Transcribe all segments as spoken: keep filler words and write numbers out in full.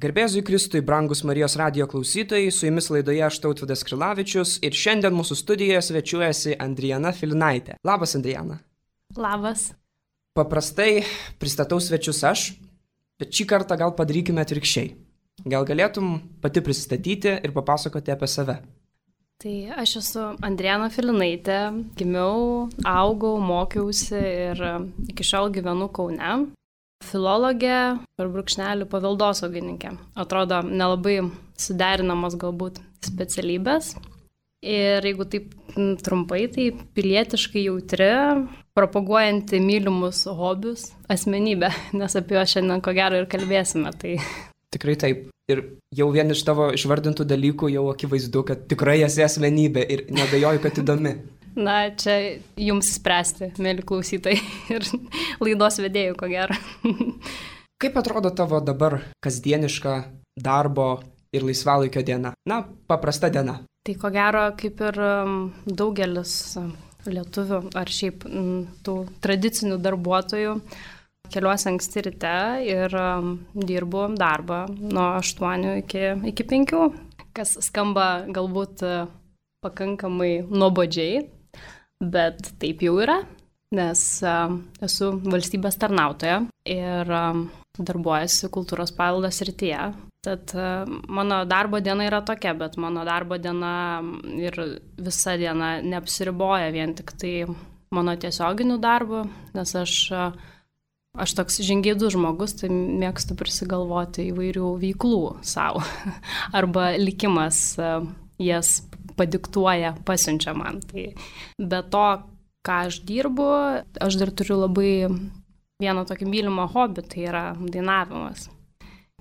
Garbėzui Kristui, brangus Marijos radijo klausytojai, su jumis laidoje aš Tautvydas Krilavičius ir šiandien mūsų studijoje svečiuojasi Andrijana Filinaitė. Labas, Andrijana. Labas. Paprastai pristatau svečius aš, bet šį kartą gal padarykime atvirkščiai. Gal galėtum pati prisistatyti ir papasakoti apie save? Tai aš esu Andrijana Filinaitė, gimiau, augau, mokiausi ir iki šiol gyvenu Kaune. Filologė ir brūkšnelių paveldosaugininkė. Atrodo, nelabai suderinamas galbūt specialybės. Ir jeigu taip trumpai, tai pilietiškai jautri, propaguojanti mylimus hobius asmenybė, nes apie juos šiandien ko gero ir kalbėsime. Tai... Tikrai taip. Ir jau vien iš tavo išvardintų dalykų jau akivaizdu, kad tikrai esi asmenybė ir neabejoju, kad įdomi. Na, čia jums spręsti, mėly klausytojai ir laidos vedėjų, ko gero. Kaip atrodo tavo dabar kasdieniška darbo ir laisvalaikio diena? Na, paprasta diena. Tai ko gero, kaip ir daugelis lietuvių ar šiaip tų tradicinių darbuotojų, keliuosi anksti ryte ir dirbu darbą nuo aštuonių iki, iki penkių, kas skamba galbūt pakankamai nuobodžiai. Bet taip jau yra, nes uh, esu valstybės tarnautoja ir uh, darbuojasi kultūros paveldo srityje. Tad uh, mano darbo diena yra tokia, bet mano darbo diena ir visa diena neapsiriboja vien tik tai mano tiesioginiu darbu, nes aš, uh, aš toks žingeidus žmogus, tai mėgstu prisigalvoti įvairių veiklų savo. Arba likimas uh, jas padiktuoja, pasiunčia man. Tai be to, ką aš dirbu, aš dar turiu labai vieną tokį mylimą hobį, tai yra dainavimas.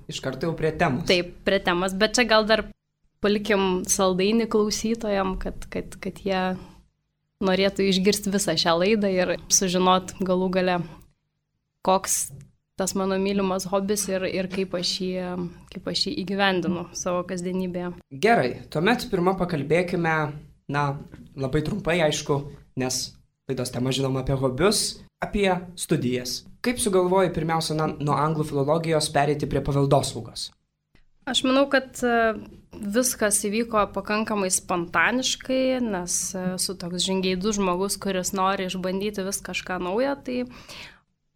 Iš karto jau prie temos. Taip, prie temos, bet čia gal dar palikim saldainį klausytojam, kad, kad, kad jie norėtų išgirsti visą šią laidą ir sužinot galų gale, koks tas mano mylimas hobis ir, ir kaip, aš jį, kaip aš jį įgyvendinu savo kasdienybėje. Gerai, tuomet pirmą pakalbėkime, na, labai trumpai, aišku, nes laidos tema žinoma apie hobius, apie studijas. Kaip sugalvoji pirmiausia na, nuo anglų filologijos pereiti prie paveldosaugos? Aš manau, kad viskas įvyko pakankamai spontaniškai, nes esu toks žingeidus žmogus, kuris nori išbandyti vis kažką naujo, tai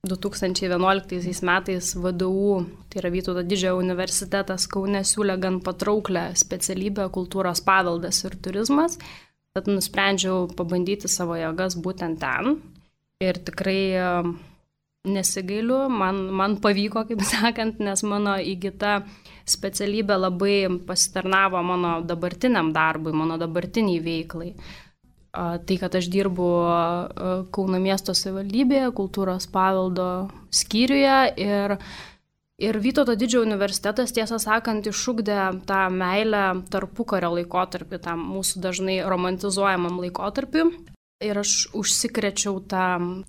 du tūkstančiai vienuoliktaisiais metais V D U, tai yra Vytauto Didžiojo universitetas Kaune, siūlė gan patrauklę specialybę kultūros paveldas ir turizmas, tad nusprendžiau pabandyti savo jėgas būtent ten ir tikrai nesigailiu, man, man pavyko, kaip sakant, nes mano įgyta specialybė labai pasitarnavo mano dabartiniam darbui, mano dabartiniai veiklai. Tai, kad aš dirbu Kauno miesto savivaldybėje, kultūros paveldo skyriuje ir, ir Vytauto Didžiojo universitetas, tiesą sakant, išugdė tą meilę tarpukario laikotarpį, tam mūsų dažnai romantizuojamam laikotarpiu. Ir aš užsikrečiau tą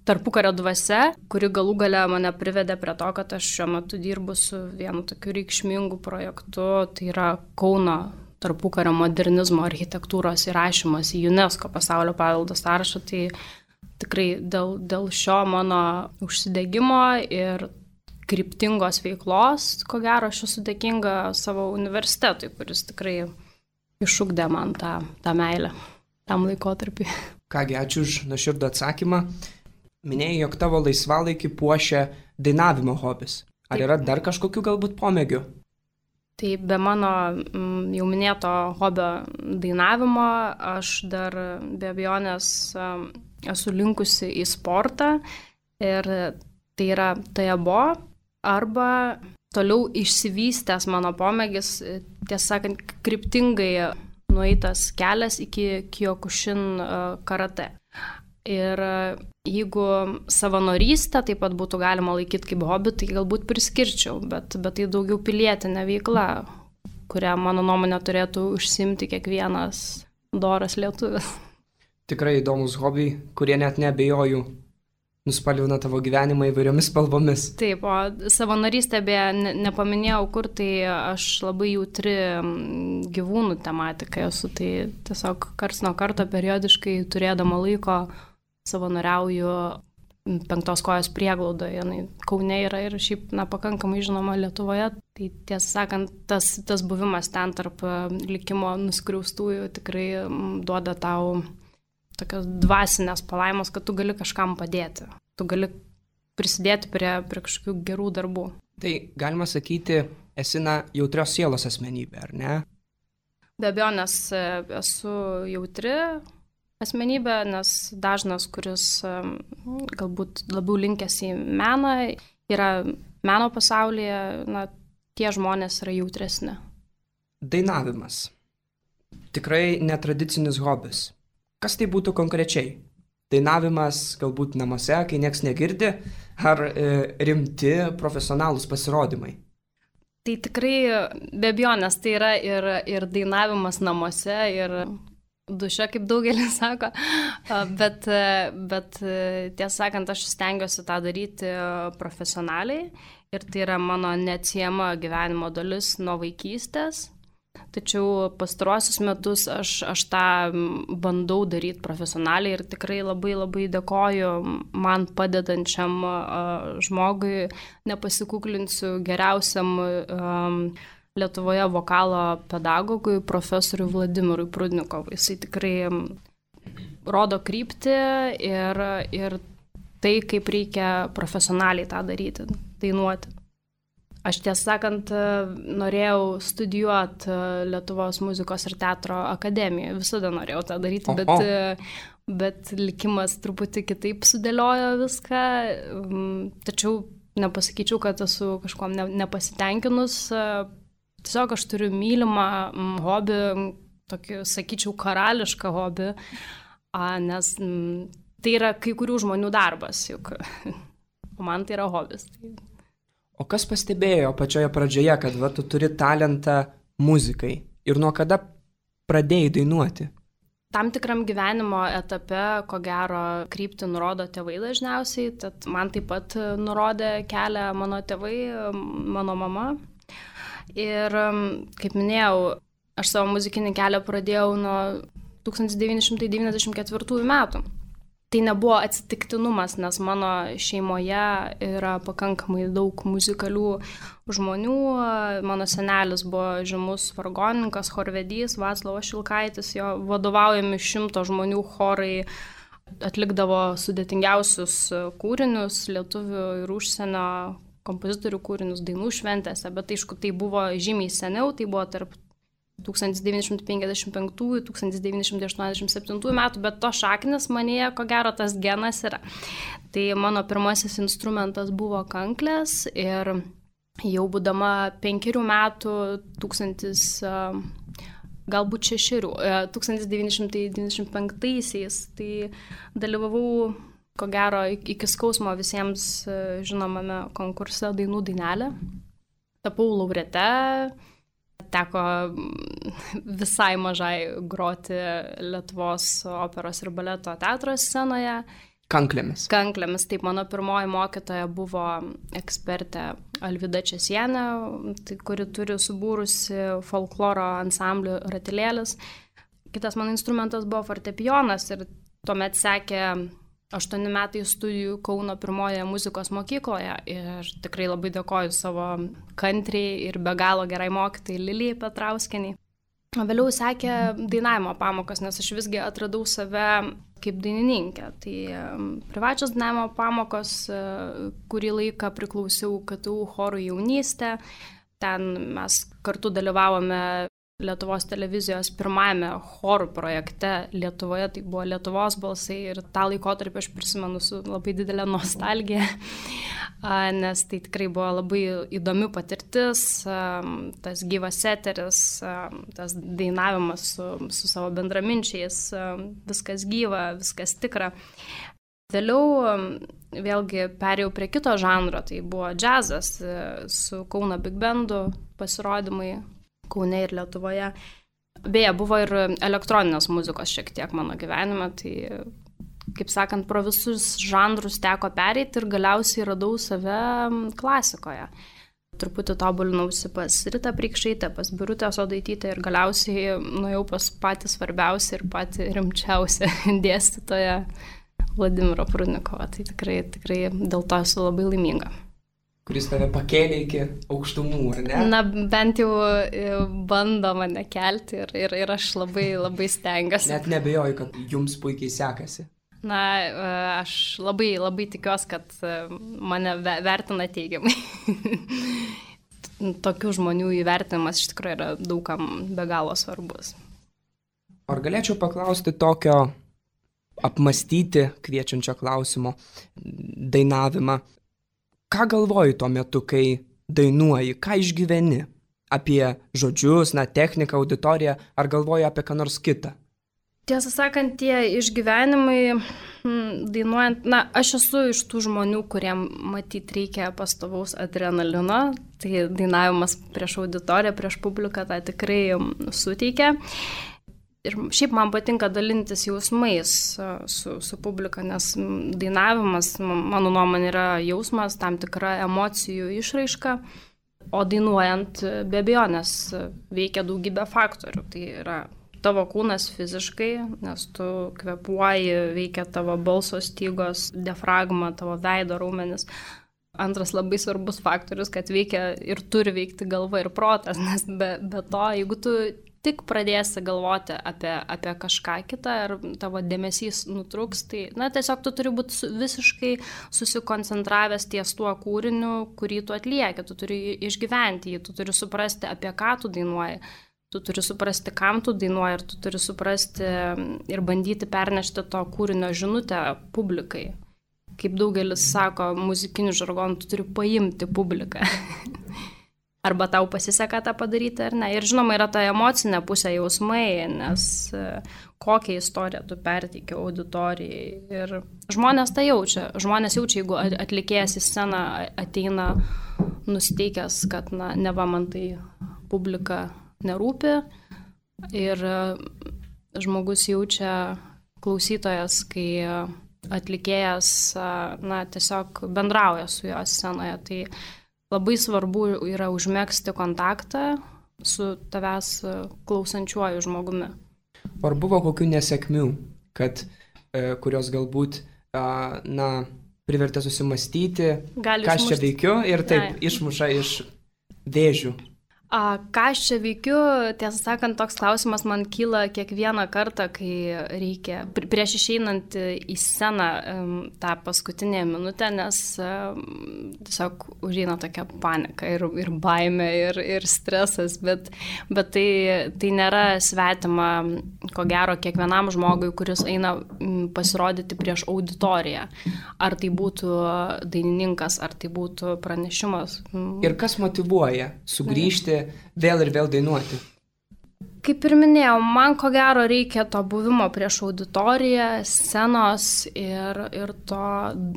tarpukario dvasia, kuri galų gale mane privedė prie to, kad aš šiuo metu dirbu su vienu tokiu reikšmingu projektu, tai yra Kauno tarpukario modernizmo architektūros įrašymas į UNESCO pasaulio paveldo sąrašą, tai tikrai dėl, dėl šio mano užsidegimo ir kryptingos veiklos, ko gero, aš esu dėkinga savo universitetui, kuris tikrai išugdė man tą, tą meilę tam laikotarpiui. Kągi, ačiū už nuoširdų atsakymą. Minėjai, jog tavo laisvalaikį puošia dainavimo hobis. Ar yra dar kažkokių galbūt pomėgių? Tai be mano jau minėto hobio dainavimo, aš dar be abejonės esu linkusi į sportą ir tai yra tajabo arba toliau išsivystęs mano pomėgis, tiesą sakant, kryptingai nueitas kelias iki Kyokushin karate. Ir jeigu savanorystę taip pat būtų galima laikyti kaip hobį, tai galbūt priskirčiau, bet, bet tai daugiau pilietinė veikla, kurią mano nuomonė turėtų užsimti kiekvienas doras lietuvis. Tikrai įdomus hobiai, kurie net neabejoju nuspalvina tavo gyvenimą įvairiomis spalvomis. Taip, o savanorystė beje ne, nepaminėjau, kur tai aš labai jautri gyvūnų tematikai esu, tai tiesiog karts nuo karto periodiškai turėdama laiko savanoriauju Penktos kojos prieglaudoje, jinai Kaune yra ir šiaip, na, pakankamai žinoma Lietuvoje. Tai tiesą sakant, tas, tas buvimas ten tarp likimo nuskriaustųjų tikrai duoda tau tokios dvasinės palaimos, kad tu gali kažkam padėti. Tu gali prisidėti prie, prie kažkokių gerų darbų. Tai galima sakyti, esi na jautrios sielos asmenybė, ar ne? Be abejo, nes esu jautri asmenybė, nes dažnas, kuris galbūt labiau linkęs į meną, yra meno pasaulyje, na, tie žmonės yra jautresni. Dainavimas. Tikrai netradicinis hobis. Kas tai būtų konkrečiai? Dainavimas galbūt namuose, kai nieks negirdi, ar e, rimti profesionalūs pasirodymai? Tai tikrai be abejonės tai yra ir, ir dainavimas namuose, ir duše, kaip daugelis sako, bet, bet tiesą sakant, aš stengiuosi tą daryti profesionaliai ir tai yra mano neatsiejama gyvenimo dalis nuo vaikystės. Tačiau pastaruosius metus aš, aš tą bandau daryti profesionaliai ir tikrai labai labai dėkoju man padedančiam uh, žmogui, nepasikuklinsiu, geriausiam um, Lietuvoje vokalo pedagogui, profesoriui Vladimirui Prudnikovui. Jisai tikrai rodo kryptį ir, ir tai, kaip reikia profesionaliai tą daryti, dainuoti. Aš tiesą sakant, norėjau studijuoti Lietuvos muzikos ir teatro akademijoje, visada norėjau tą daryti, oh, bet, oh. bet likimas truputį kitaip sudėliojo viską, tačiau nepasakyčiau, kad esu kažkuom nepasitenkinus, tiesiog aš turiu mylimą hobį, tokį, sakyčiau, karališką hobį, nes tai yra kai kurių žmonių darbas, juk man tai yra hobis. O kas pastebėjo pačioje pradžioje, kad va, tu turi talentą muzikai ir nuo kada pradėjai dainuoti? Tam tikram gyvenimo etape, ko gero, kryptį nurodo tėvai dažniausiai, tad man taip pat nurodė kelią mano tėvai, mano mama. Ir, kaip minėjau, aš savo muzikinį kelią pradėjau nuo tūkstantis devyni šimtai devyniasdešimt ketvirtųjų metų. Tai nebuvo atsitiktinumas, nes mano šeimoje yra pakankamai daug muzikalių žmonių. Mano senelis buvo žymus vargonininkas, chorvedys, Vaclovas Šilkaitis, jo vadovaujami šimto žmonių chorai atlikdavo sudėtingiausius kūrinius, lietuvių ir užsienio kompozitorių kūrinius dainų šventėse, bet aišku, tai buvo žymiai seniau, tai buvo tarp tūkstantis devyni šimtai penkiasdešimt penktųjų - tūkstantis devyni šimtai aštuoniasdešimt septintųjų metų, bet to šaknis manyje, ko gero, tas genas yra. Tai mano pirmasis instrumentas buvo kanklės ir jau būdama penkerių metų, tūkstantis, galbūt šešerių, tūkstantis devyni šimtai devyniasdešimt penktaisiais, tai dalyvavau, ko gero, iki skausmo visiems žinomame konkurse Dainų dainelė. Tapau laureate. Teko visai mažai groti Lietuvos operos ir baleto teatro scenoje. Kanklėmis. Kanklėmis. Taip, mano pirmoji mokytoja buvo ekspertė Alvyda Česienė, tai, kuri turi subūrusi folkloro ansamblių Ratilėlis. Kitas mano instrumentas buvo fortepijonas ir tuomet sekė aštuoni metai studijų Kauno pirmojoje muzikos mokykloje ir tikrai labai dėkoju savo kantriai ir be galo gerai mokytojai Lilijai Petrauskienei. Vėliau sekė dainavimo pamokos, nes aš visgi atradau save kaip dainininkė. Tai privačios dainavimo pamokos, kurį laiką priklausiau K T U chorų jaunystė. Ten mes kartu dalyvavome Lietuvos televizijos pirmajame chorų projekte Lietuvoje, tai buvo Lietuvos balsai ir tą laikotarpį aš prisimenu su labai didelė nostalgija, nes tai tikrai buvo labai įdomi patirtis, tas gyvas eteris, tas dainavimas su, su savo bendraminčiais, viskas gyva, viskas tikra. Vėliau vėlgi perėjau prie kito žanro, tai buvo džiazas su Kauno Big Bandu pasirodymai Kaune ir Lietuvoje. Beje, buvo ir elektroninės muzikos šiek tiek mano gyvenime, tai, kaip sakant, pro visus žanrus teko pereiti ir galiausiai radau save klasikoje. Truputį tobulinausi pas Ritą Preikšaitę, pas Birutę Sodaitytę ir galiausiai nuėjau pas patį svarbiausią ir patį rimčiausią dėstytoją Vladimiro Prudnikovo. Tai tikrai, tikrai dėl to esu labai laiminga. Kuris tave pakėlė iki aukštumų, ar ne? Na, bent jau bando mane kelti ir, ir, ir aš labai, labai stengiuosi. Net nebejoju, kad jums puikiai sekasi. Na, aš labai, labai tikiuosi, kad mane vertina teigiamai. Tokių žmonių įvertinimas iš tikrųjų yra daugam be galo svarbus. Ar galėčiau paklausti tokio apmastyti kviečiančio klausimo dainavimą? Ką galvoji tuo metu, kai dainuoji, ką išgyveni? Apie žodžius, na, techniką, auditoriją, ar galvoji apie ką nors kitą? Tiesą sakant, tie išgyvenimai dainuojant, na, aš esu iš tų žmonių, kuriem matyt reikia pastovaus adrenalino, tai dainavimas prieš auditoriją, prieš publiką tą tikrai suteikia. Ir šiaip man patinka dalintis jausmais su, su publika, nes dainavimas, mano nuomonė, yra jausmas, tam tikra emocijų išraiška, o dainuojant be abejonės veikia daugybė faktorių. Tai yra tavo kūnas fiziškai, nes tu kvėpuoji, veikia tavo balso stygos, diafragma, tavo veido raumenis. Antras labai svarbus faktorius, kad veikia ir turi veikti galva ir protas, nes be, be to, jeigu tu tik pradėsi galvoti apie, apie kažką kitą ir tavo dėmesys nutruks, tai, na, tiesiog tu turi būti visiškai susikoncentravęs ties tuo kūriniu, kurį tu atlieki, tu turi išgyventi jį, tu turi suprasti, apie ką tu dainuoji, tu turi suprasti, kam tu dainuoji ir tu turi suprasti ir bandyti pernešti to kūrinio žinutę publikai. Kaip daugelis sako, muzikiniu žargonu, tu turi paimti publiką. Arba tau pasiseka tą padaryti, ar ne. Ir žinoma, yra ta emocinė pusė, jausmai, nes kokią istoriją tu perteiki auditorijai. Ir žmonės tą jaučia. Žmonės jaučia, jeigu atlikėjas į sceną ateina nusiteikęs, kad, na, neva man tai publika nerūpi. Ir žmogus jaučia, klausytojas, kai atlikėjas, na, tiesiog bendrauja su jo scenoje. Tai labai svarbu yra užmegzti kontaktą su tavęs klausančiuoju žmogumi. Ar buvo kokių nesėkmių, kad, e, kurios galbūt, a, na, privertė susimastyti, Gali ką aš čia veikiu ir taip Ai. išmuša iš vėžių? A, ką aš čia veikiu, tiesą sakant, toks klausimas man kyla kiekvieną kartą, kai reikia, prieš išeinant į sceną tą paskutinę minutę, nes tiesiog užeina tokia panika ir, ir baimė, ir, ir stresas, bet, bet tai, tai nėra svetima, ko gero, kiekvienam žmogui, kuris eina pasirodyti prieš auditoriją. Ar tai būtų dainininkas, ar tai būtų pranešimas. Ir kas motyvuoja sugrįžti vėl ir vėl dainuoti? Kaip ir minėjau, man ko gero reikia to buvimo prieš auditoriją, scenos ir, ir to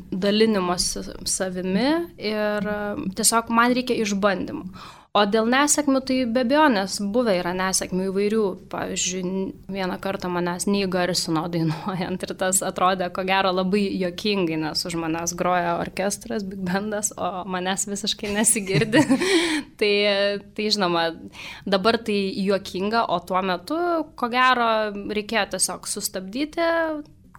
dalinimosi savimi ir tiesiog man reikia išbandymų. O dėl nesėkmių, tai be abejonės buvę yra nesėkmių įvairių. Pavyzdžiui, vieną kartą manęs neįgarsino dainuojant ir tas atrodė, ko gero, labai juokingai, nes už manęs groja orkestras, big bandas, o manęs visiškai nesigirdi. tai, tai žinoma, dabar tai juokinga, o tuo metu, ko gero, reikėjo tiesiog sustabdyti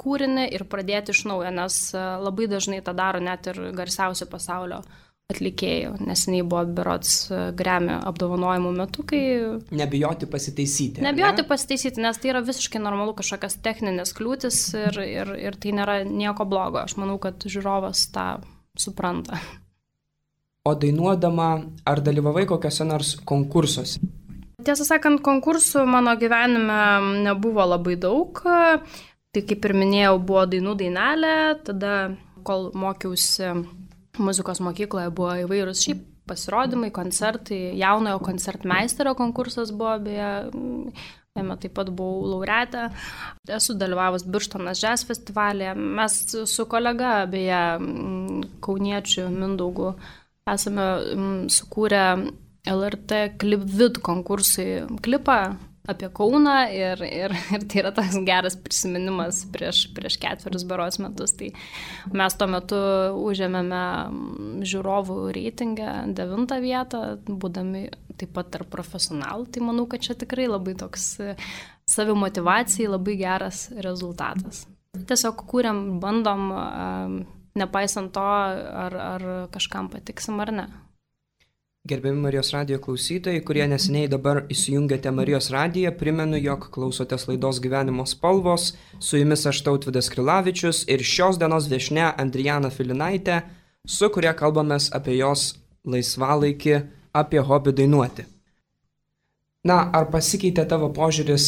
kūrinį ir pradėti iš naujo, nes labai dažnai tą daro net ir garsiausi pasaulio atlikėjų. Neseniai buvo berods Grammy apdovanojimų metu, kai... Nebijoti pasitaisyti. Nebijoti ne? pasitaisyti, nes tai yra visiškai normalu kažkokias techninės kliūtis ir, ir, ir tai nėra nieko blogo. Aš manau, kad žiūrovas tą supranta. O dainuodama, ar dalyvavai kokiuose nors konkursuose? Tiesą sakant, konkursų mano gyvenime nebuvo labai daug. Tai kaip ir minėjau, buvo dainų dainelė, tada, kol mokiausi muzikos mokykloje, buvo įvairūs šiaip pasirodymai, koncertai, jaunojo koncertmeisterio konkursas buvo, beje, jame taip pat buvau laureatė. Esu dalyvavus Birštonas Jazz festivalyje. Mes su kolega, beje, kauniečiu Mindaugu, esame sukūrę L R T Klipvid konkursui klipą apie Kauną ir, ir, ir tai yra toks geras prisiminimas prieš, prieš ketverius berods metus. Tai mes tuo metu užėmėme žiūrovų reitingą devintą vietą, būdami taip pat tarp profesionalų. Tai manau, kad čia tikrai labai toks savimotyvacijai labai geras rezultatas. Tiesiog kūrėm, bandom, nepaisant to, ar, ar kažkam patiksim ar ne. Gerbiami Marijos radijo klausytojai, kurie neseniai dabar įsijungėte Marijos radiją, primenu, jog klausotės laidos Gyvenimo spalvos, su jumis aš Tautvydas Krilavičius ir šios dienos viešnia Andrijana Filinaitė, su kuria kalbamės apie jos laisvalaikį, apie hobį dainuoti. Na, ar pasikeitė tavo požiūris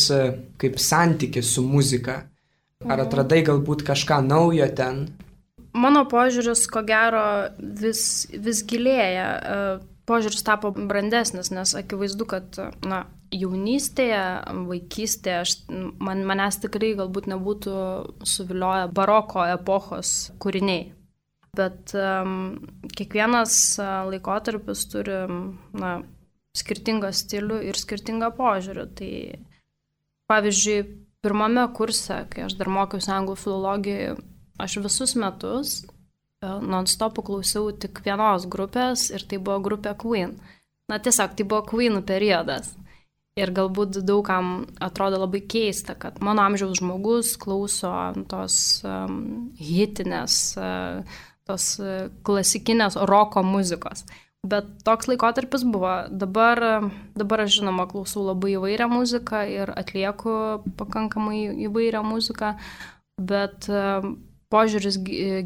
kaip santykis su muzika? Ar atradai galbūt kažką naujo ten? Mano požiūris, ko gero, vis, vis gilėja. Požiūris tapo brandesnis, nes akivaizdu, kad na, jaunystėje, vaikystėje aš, man, manęs tikrai galbūt nebūtų suvilioję baroko epochos kūriniai. Bet um, kiekvienas laikotarpis turi na, skirtingą stilių ir skirtingą požiūrį. Tai pavyzdžiui, pirmame kurse, kai aš dar mokiausi anglų filologijoje, aš visus metus non-stopų klausiau tik vienos grupės ir tai buvo grupė Queen. Na tiesiog, tai buvo Queenų periodas. Ir galbūt daugam atrodo labai keista, kad mano amžiaus žmogus klauso tos um, hitinės, uh, tos uh, klasikinės roko muzikos. Bet toks laikotarpis buvo. Dabar, dabar aš žinoma klausau labai įvairią muziką ir atlieku pakankamai įvairią muziką, bet uh, požiūris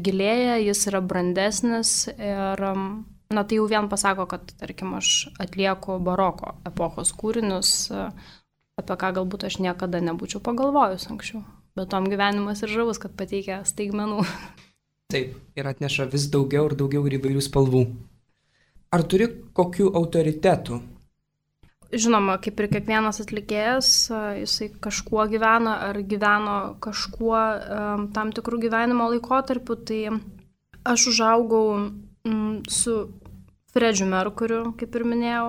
gilėja, jis yra brandesnis ir na, tai jau vien pasako, kad, tarkim, aš atlieku baroko epochos kūrinius, apie ką galbūt aš niekada nebūčiau pagalvojus anksčiau. Bet tom gyvenimas ir žavus, kad pateikia staigmenų. Taip, ir atneša vis daugiau ir daugiau ir įvairių spalvų. Ar turi kokių autoritetų? Žinoma, kaip ir kiekvienas atlikėjas, jisai kažkuo gyvena ar gyveno kažkuo um, tam tikrų gyvenimo laikotarpių, tai aš užaugau mm, su Fredžiu Merkuriu, kaip ir minėjau,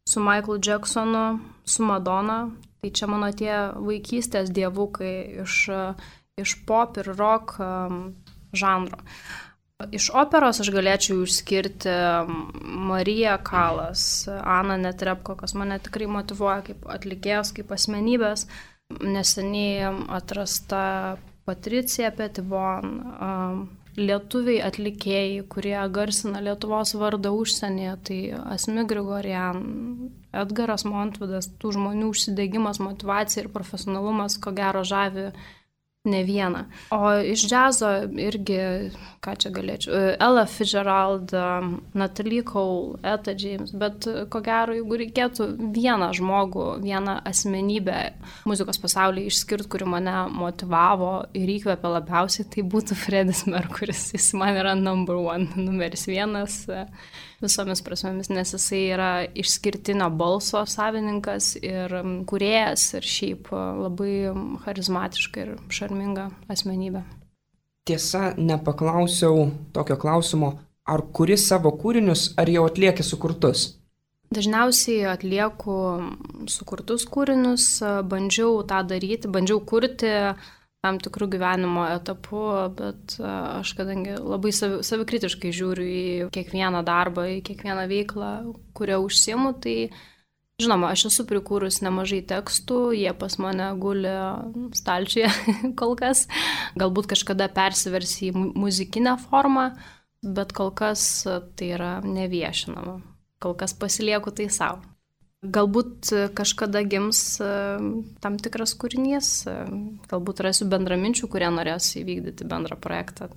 su Michaelu Jacksonu, su Madonna, tai čia mano tie vaikystės dievukai iš, iš pop ir rock um, žanro. Iš operos aš galėčiau išskirti Mariją Kalas, Aną Netrebko, kas mane tikrai motyvuoja kaip atlikėjos, kaip asmenybės. Neseniai atrasta Patricija Petitbon, lietuviai atlikėjai, kurie garsina Lietuvos vardą užsienyje, tai Asmik Grigorian, Edgaras Montvidas, tų žmonių užsidegimas, motyvacija ir profesionalumas, ko gero žavi ne vieną. O iš džiazo irgi, ką čia galėčiau, Ella Fitzgerald, Natalie Cole, Etta James, bet ko gero, jeigu reikėtų vieną žmogų, vieną asmenybę muzikos pasaulyje išskirti, kuri mane motyvavo ir įkvėpė labiausiai, tai būtų Freddis Mercuris. Jis man yra number one, numeris vienas visomis prasmėmis, nes jisai yra išskirtinio balso savininkas ir kūrėjas ir šiaip labai charizmatiška ir šarminga asmenybė. Tiesa, nepaklausiau tokio klausimo, ar kuri savo kūrinius, ar jau atlieki sukurtus? Dažniausiai atlieku sukurtus kūrinius, bandžiau tą daryti, bandžiau kurti tam tikrų gyvenimo etapų, bet aš kadangi labai savi, savikritiškai žiūriu į kiekvieną darbą, į kiekvieną veiklą, kurią užsiimu, tai žinoma, aš esu prikūrus nemažai tekstų, jie pas mane guli stalčiuje kol kas, galbūt kažkada persiversi į muzikinę formą, bet kol kas tai yra neviešinama, kol kas pasilieku tai savo. Galbūt kažkada gims tam tikras kūrinys, galbūt rasiu bendraminčių, kurie norės įvykdyti bendrą projektą.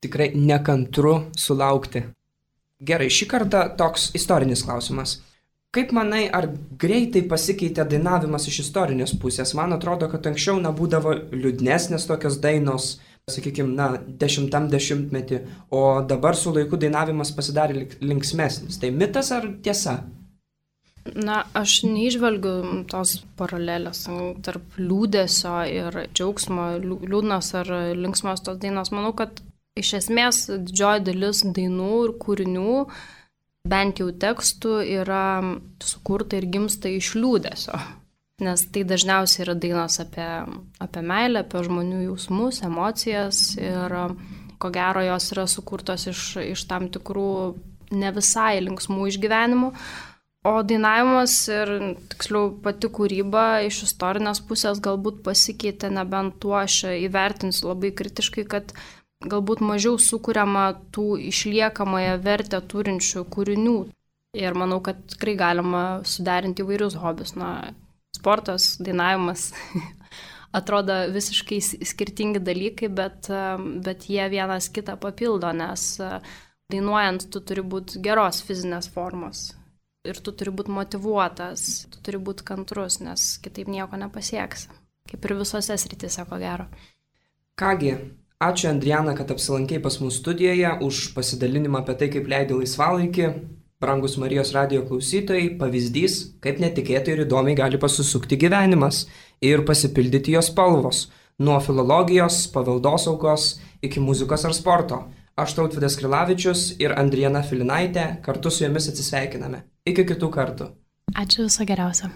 Tikrai nekantru sulaukti. Gerai, šį kartą toks istorinis klausimas. Kaip manai, ar greitai pasikeitė dainavimas iš istorinės pusės? Man atrodo, kad anksčiau nebūdavo liūdnesnės tokios dainos, sakykime, na, dešimtam dešimtmetį, o dabar su laiku dainavimas pasidarė linksmesnis. Tai mitas ar tiesa? Na, aš neižvelgiu tos paralelės tarp liūdesio ir džiaugsmo, liūdnos ar linksmos tos dainos. Manau, kad iš esmės didžioji dalis dainų ir kūrinių, bent jau tekstų, yra sukurta ir gimsta iš liūdesio. Nes tai dažniausiai yra dainos apie, apie meilę, apie žmonių jausmus, emocijas ir ko gero jos yra sukurtos iš, iš tam tikrų ne visai linksmų išgyvenimų. O dainavimas ir, tiksliau, pati kūryba iš istorinės pusės galbūt pasikeitė, nebent tuo aš įvertinsiu labai kritiškai, kad galbūt mažiau sukuriama tų išliekamąją vertę turinčių kūrinių. Ir manau, kad tikrai galima suderinti įvairius hobius. Na, sportas, dainavimas atrodo visiškai skirtingi dalykai, bet, bet jie vienas kitą papildo, nes dainuojant tu turi būti geros fizinės formos. Ir tu turi būti motyvuotas, tu turi būti kantrus, nes kitaip nieko nepasieksi. Kaip ir visose srityse, ko gero. Kągi, ačiū Andriana, kad apsilankei pas mūsų studijoje, už pasidalinimą apie tai, kaip leidi laisvalaikį. Brangus Marijos radijo klausytojai, pavyzdys, kaip netikėtai ir įdomiai gali pasisukti gyvenimas ir pasipildyti jos spalvos. Nuo filologijos, paveldosaugos iki muzikos ar sporto. Aš Tautvydas Krilavičius ir Andriana Filinaitė kartu su jumis atsisveikiname. Iki kitų kartų. Ačiū, viso geriausio.